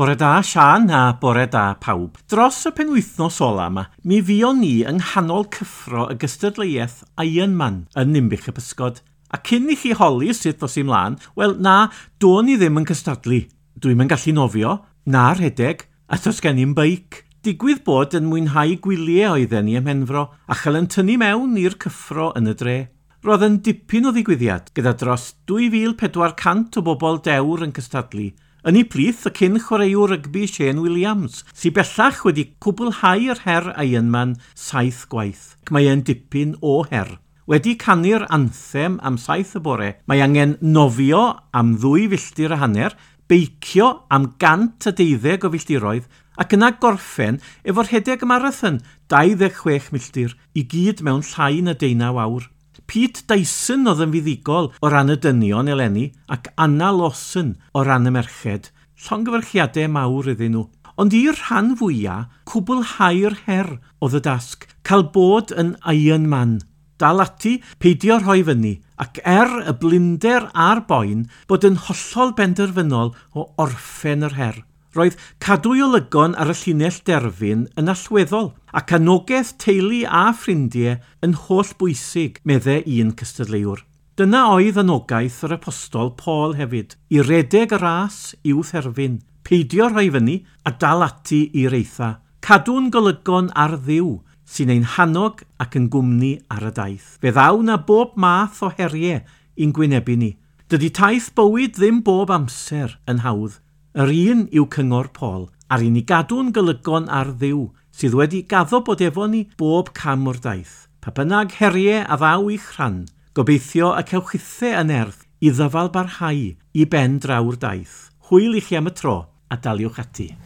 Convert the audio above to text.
Bore da Siân a bore da pawb. Dros y penwythnos ola yma, mi fuon ni yng nghanol cyffro y gystadleuaeth Ironman yn Ninbych y Pysgod. A cyn i chi holi sut ddos i mlaen, wel na, do'n i ddim yn cystadlu. Dwi'm yn gallu nofio, na rhedeg, a does gen i'm beic. Digwydd bod yn mwynhau gwyliau oedden ni ym Mhenfro, a chael yn tynnu mewn i'r cyffro yn y dre. Roedd yn dipyn o ddigwyddiad, gyda dros 2,400 o bobl dewr yn cystadlu. Yn eu plith, y cyn chwaraewr rygbi Shane Williams, sydd bellach wedi cwblhau'r her Ironman 7 gwaith. Ac mae e'n dipyn o her. Wedi canu'r anthem am 7 y bore, mae angen nofio am 2.5 filltir, beicio am 112 o filltiroedd, ac yna gorffen efo'r rhedeg marathon 26 milltir, i gyd mewn llai na 19 awr. Pete Dyson oedd yn fuddugol o ran y dynion eleni ac Anna Lawson o ran y merched. Llongyfarchiadau mawr iddyn nhw. Ond i'r rhan fwyaf, cwblhau'r her oedd y dasg, cael bod yn Iron Man. Dal ati, peidio rhoi fyny, ac er y blinder a'r boen, bod yn hollol benderfynol o orffen yr her. Roedd cadw'i olygon ar y llinell derfyn yn allweddol, ac anogaeth teulu a ffrindiau yn holl bwysig, medde un cystadleuwr. Dyna oedd anogaeth yr apostol Paul hefyd, i redeg y ras i'w therfyn, peidio rhoi fyny a dal ati i'r eitha. Cadw'n golygon ar Dduw, sy'n ein hannog ac yn gwmni ar y daith. Fe ddaw na bob math o heriau i'n gwynebu ni. Dydy taith bywyd ddim bob amser yn hawdd. Yr un yw cyngor Paul, ar i ni gadw'n golygon ar Dduw, sydd wedi gaddo bod efo ni bob cam o'r daith. Pa bynnag heriau a ddaw i'ch rhan, gobeithio y cewch chithe yn erth i ddyfal barhau i ben draw'r daith. Hwyl i chi am y tro, a daliwch ati.